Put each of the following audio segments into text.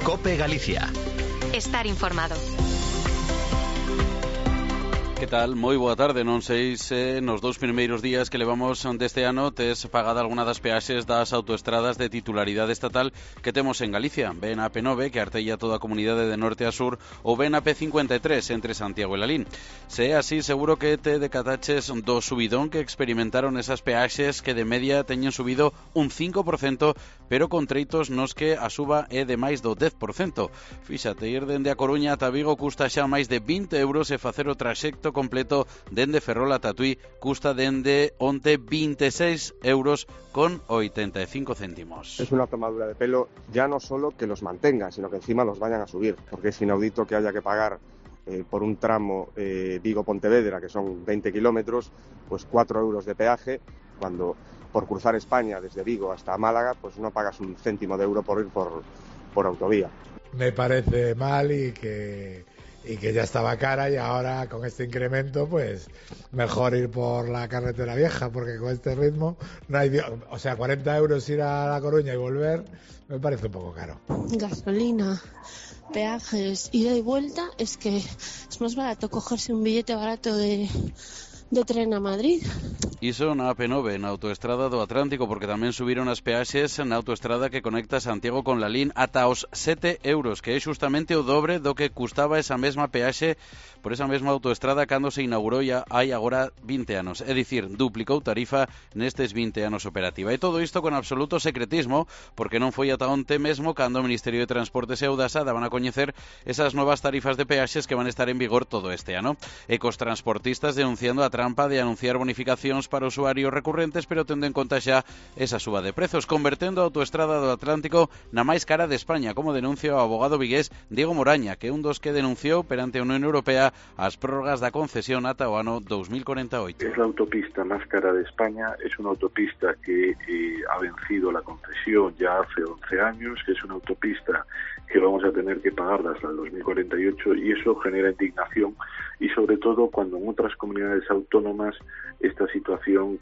COPE Galicia. Estar informado. Que tal? Moi boa tarde. Non sei se nos 2 primeiros días que levamos deste ano tes pagado algunha das peaxes das autoestradas de titularidade estatal que temos en Galicia. Ben a P9, que artella toda a comunidade de norte a sur, ou ben a P53 entre Santiago e Lalín. Se é así, seguro que te decataches do subidón que experimentaron esas peaxes que de media teñen subido un 5%, pero con treitos nos que a suba é de máis do 10%. Fíxate, ir dende a Coruña ata Vigo custa xa máis de 20 euros e facer o traxecto completo dende Ferrol a Tatuí custa dende onte 26 euros con 85 céntimos. Es una tomadura de pelo ya no solo que los mantengan, sino que encima los vayan a subir, porque es inaudito que haya que pagar por un tramo Vigo-Pontevedra, que son 20 kilómetros, pues 4 euros de peaje, cuando por cruzar España desde Vigo hasta Málaga, pues no pagas un céntimo de euro por ir por autovía. Me parece mal y que ya estaba cara, y ahora con este incremento pues mejor ir por la carretera vieja, porque con este ritmo no hay, o sea, 40 euros ir a La Coruña y volver me parece un poco caro. Gasolina, peajes, ida y vuelta, es que es más barato cogerse un billete barato de tren a Madrid. Iso na AP9, na autoestrada do Atlántico, porque tamén subiron as peaxes na autoestrada que conecta Santiago con Lalín ata os 7 euros, que é justamente o dobre do que custaba esa mesma peaxe por esa mesma autoestrada cando se inaugurou ya hai agora 20 anos. É dicir, duplicou tarifa nestes 20 anos operativa. E todo isto con absoluto secretismo, porque non foi ata onte mesmo cando o Ministerio de Transportes e Audasa daban a coñecer esas novas tarifas de peaxes que van a estar en vigor todo este ano. E cos transportistas denunciando a trampa de anunciar bonificacións para usuarios recurrentes, pero tendo en conta xa esa suba de prezos, convertendo a autoestrada do Atlántico na máis cara de España, como denuncia o abogado vigués Diego Moraña, que é un dos que denunciou perante a Unión Europea as prórrogas da concesión ata o ano 2048. Es la autopista más cara de España, es una autopista que ha vencido la concesión ya hace 11 años, que es una autopista que vamos a tener que pagarla hasta el 2048, y eso genera indignación, y sobre todo cuando en otras comunidades autónomas esta situación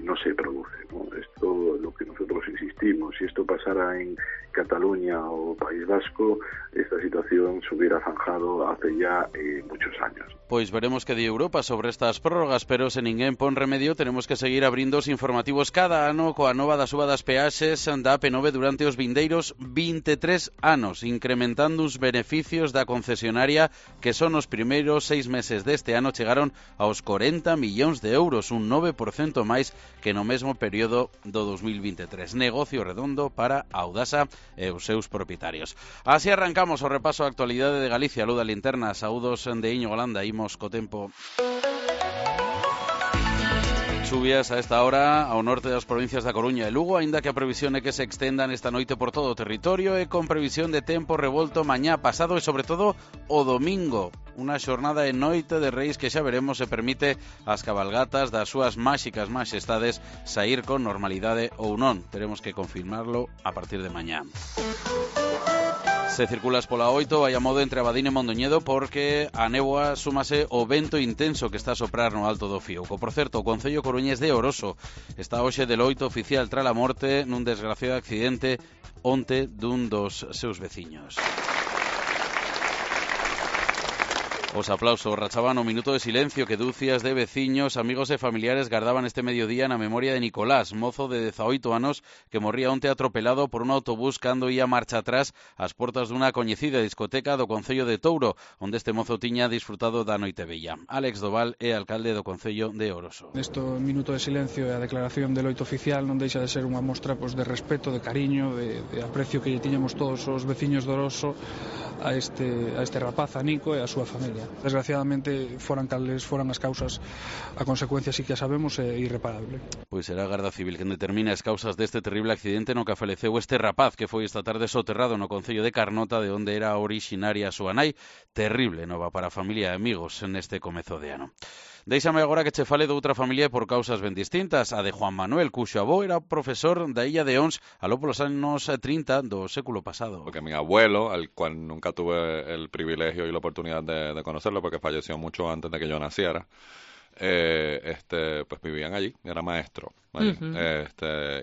no se produce, ¿no? Esto lo que nosotros insistimos, si esto pasara en Cataluña o País Vasco, esta situación se hubiera zanjado hace ya muchos años. Pois veremos que di Europa sobre estas prórrogas, pero se ninguén pon remedio, tenemos que seguir abrindo os informativos cada ano coa nova da suba das peaxes da AP9 durante os vindeiros 23 anos, incrementando os beneficios da concesionaria, que son os primeiros 6 meses deste ano chegaron aos 40 millóns de euros, un 9% máis que no mesmo período do 2023. Negocio redondo para Audasa e os seus propietarios. Así arrancamos o repaso á actualidade de Galicia. Luda Linterna, saúdos de Iño Golanda, imos co tempo. Chuvias a esta hora ao norte das provincias da Coruña e Lugo, aínda que a previsión é que se extendan esta noite por todo o territorio e con previsión de tempo revolto mañá pasado e sobre todo o domingo. Unha xornada e noite de Reis que xa veremos se permite as cabalgatas das súas máxicas majestades sair con normalidade ou non. Teremos que confirmarlo a partir de mañá. Se circulas pola 8, vai a modo entre Abadín e Mondoñedo, porque a néboa súmase o vento intenso que está a soprar no alto do Fiouco. Por certo, o Concello Coruñés de Oroso está hoxe de loito oficial tras a morte nun desgraciado accidente onte dun dos seus veciños. Os aplausos rachaban o minuto de silencio que dúcias de veciños, amigos e familiares gardaban este mediodía na memoria de Nicolás, mozo de 18 anos que morría onte atropelado por un autobús cando ia marcha atrás ás portas dunha coñecida discoteca do Concello de Touro, onde este mozo tiña disfrutado da noite bella. Álex Doval é alcalde do Concello de Oroso. Este minuto de silencio e a declaración de loito oficial non deixa de ser unha mostra de respeto, de cariño, de aprecio que lle tiñamos todos os veciños de Oroso a este rapaz, a Nico e a súa familia. Desgraciadamente, foran as causas, a consecuencia sí que a sabemos é irreparable. Pois será a Garda Civil quen determina as causas deste terrible accidente no que faleceu este rapaz que foi esta tarde soterrado no Concello de Carnota, de onde era orixinaria a súa nai. Terrible nova para a familia e amigos neste comezo de ano. Déixame agora que che fale de outra familia por causas ben distintas, a de Juan Manuel, cuxo avó era profesor da Illa de Ons aló polos anos 30 do século pasado. Porque mi abuelo, al cual nunca tuve el privilegio y la oportunidad de conocerlo, porque falleció mucho antes de que yo naciera, pues vivían allí, era maestro allí.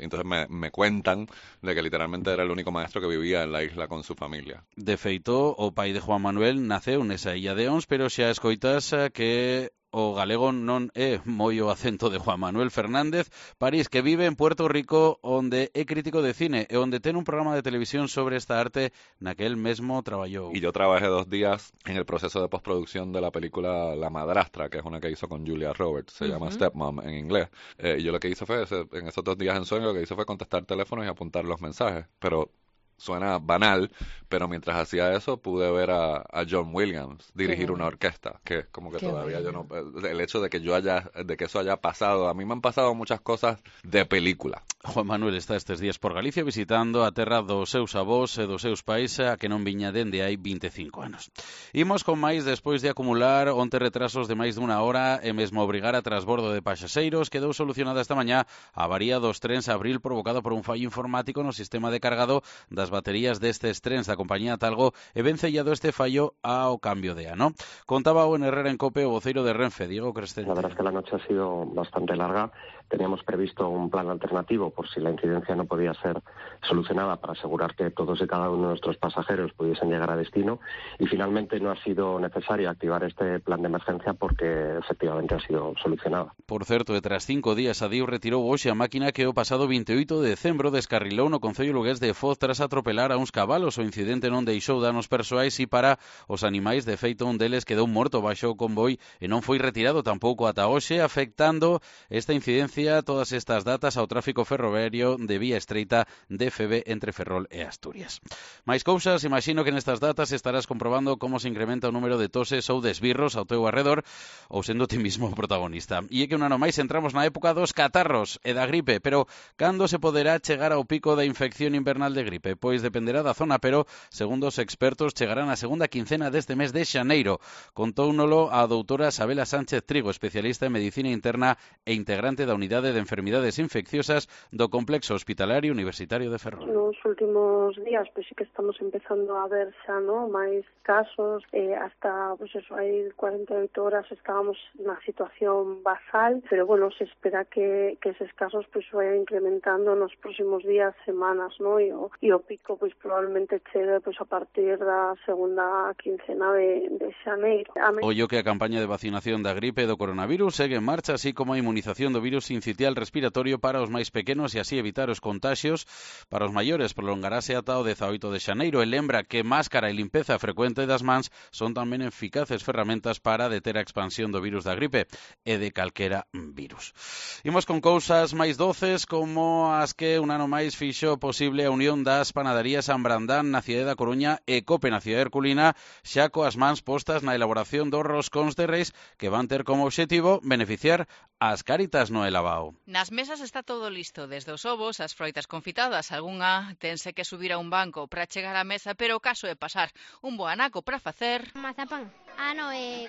Entonces me cuentan de que literalmente era el único maestro que vivía en la isla con su familia. De feito, o pai de Juan Manuel naceu nesa illa de Ons, pero xa escoitas que o galego non é moi o acento de Juan Manuel Fernández París, que vive en Puerto Rico, onde é crítico de cine e onde ten un programa de televisión sobre esta arte naquel mesmo traballou. Y yo trabajé 2 días en el proceso de postproducción de la película La Madrastra, que es una que hizo con Julia Roberts, se llama Stepmom en inglés. Y yo lo que hice fue, en esos 2 días en sueño, lo que hice fue contestar teléfonos y apuntar los mensajes, pero suena banal, pero mientras hacía eso pude ver a John Williams dirigir una orquesta, que es como que todavía yo no... El hecho de que eso haya pasado, a mí me han pasado muchas cosas de película. Juan Manuel está estes días por Galicia visitando a terra dos seus avós e dos seus pais a que non viña dende hai 25 anos. Imos con máis despois de acumular 11 retrasos de máis dunha hora e mesmo obrigar a transbordo de pasaxeiros, quedou solucionada esta mañá a avaría dos trens Abril provocada por un fallo informático no sistema de cargado das baterías destes trens da compañía Talgo e vencellado este fallo ao cambio de ano. Contaba o en Herrera en Cope o voceiro de Renfe, Diego Crescente. La verdad es que la noche ha sido bastante larga. Teníamos previsto un plan alternativo por si la incidencia no podía ser solucionada para asegurar que todos y cada uno de nuestros pasajeros pudiesen llegar a destino y finalmente no ha sido necesario activar este plan de emergencia porque efectivamente ha sido solucionada. Por certo, e tras 5 días a Diu retirou hoxe a máquina que o pasado 28 de decembro descarrilou no Concello lugués de Foz tras atropelar a uns cabalos. O incidente non deixou danos persoais e para os animais, de feito un deles quedou morto baixo o convoi e non foi retirado tampouco ata hoxe, afectando esta incidencia todas estas datas ao tráfico ferroviario de vía estreita de FB entre Ferrol e Asturias. Mais cousas, imagino que nestas datas estarás comprobando como se incrementa o número de toses ou de esbirros ao teu arredor ou sendo ti mismo o protagonista. E é que un ano máis entramos na época dos catarros e da gripe, pero cando se poderá chegar ao pico da infección invernal de gripe? Pois dependerá da zona, pero segundo os expertos chegará na segunda quincena deste mes de xaneiro. Contóunolo a doutora Sabela Sánchez Trigo, especialista en medicina interna e integrante da Unidade de Enfermidades Infecciosas do Complexo Hospitalario Universitario de Ferrol. Nos últimos días, pois sí que estamos empezando a ver xa, ¿no?, máis casos, hasta, pois eso, hai 48 horas estábamos na situación basal, pero bueno, se espera que eses casos pois vayan incrementando nos próximos días, semanas, ¿no?, e o pico pois probablemente chegue pois a partir da segunda quincena de xaneiro. Ollo que a campaña de vacinación da gripe e do coronavirus segue en marcha, así como a inmunización do virus sincitial respiratorio para os máis pequenos e así evitar os contaxios. Para os maiores prolongarase ata o 18 de xaneiro e lembra que máscara e limpeza frecuente das mans son tamén eficaces ferramentas para deter a expansión do virus da gripe e de calquera virus. Imos con cousas máis doces como as que un ano máis fixo posible a unión das panaderías San Brandán na cidade da Coruña e Cope na cidade herculina, xa coas mans postas na elaboración dos roscóns de reis que van ter como obxectivo beneficiar as Cáritas no Elabao. Nas mesas está todo listo, desde os ovos, as froitas confitadas, algunha tense que subir a un banco para chegar á mesa, pero o caso é pasar un bo anaco para facer... Mazapán.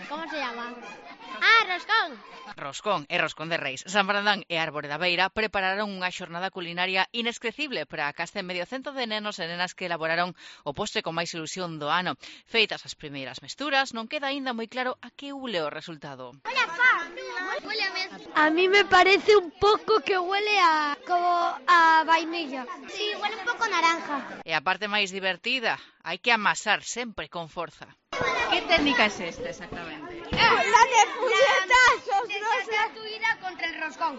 ¿Cómo se llama? Roscón. Roscón e roscón de reis. San Brandán e Árbore da Beira prepararon unha xornada culinaria inesquecible para a casta en medio cento de nenos e nenas que elaboraron o postre con máis ilusión do ano. Feitas as primeiras mesturas, non queda aínda moi claro a que ule o resultado. A mí me parece un poco que huele como a vainilla. Sí, huele un poco naranja. E a parte máis divertida, hai que amasar sempre con forza. ¿Qué técnica es esta exactamente? La de puñetazos, no sé. Gratuita contra el roscón.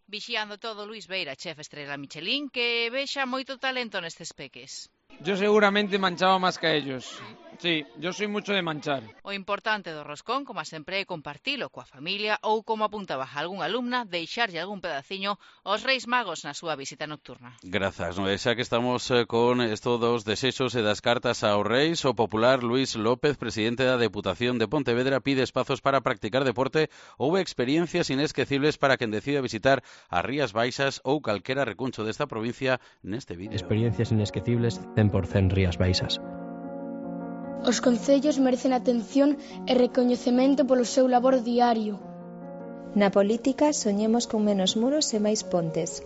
Vixiando todo Luis Beira, chef estrela Michelin, que vexa moito talento nestes peques. Yo seguramente manchaba más que ellos. Sí, yo soy mucho de manchar. O importante do roscón, como sempre, é compartilo coa familia ou, como apuntaba algún alumna, deixarlle algún pedaciño aos Reis Magos na súa visita nocturna. Grazas, no? Xa que estamos con esto dos desexos e das cartas aos Reis, o popular Luis López, presidente da Deputación de Pontevedra, pide espazos para practicar deporte ou experiencias inesquecibles para quen decida visitar as Rías Baixas ou calquera recuncho desta provincia neste vídeo. Experiencias inesquecibles 100% Rías Baixas. Os concellos merecen atención e recoñecemento polo seu labor diario. Na política soñemos con menos muros e máis pontes.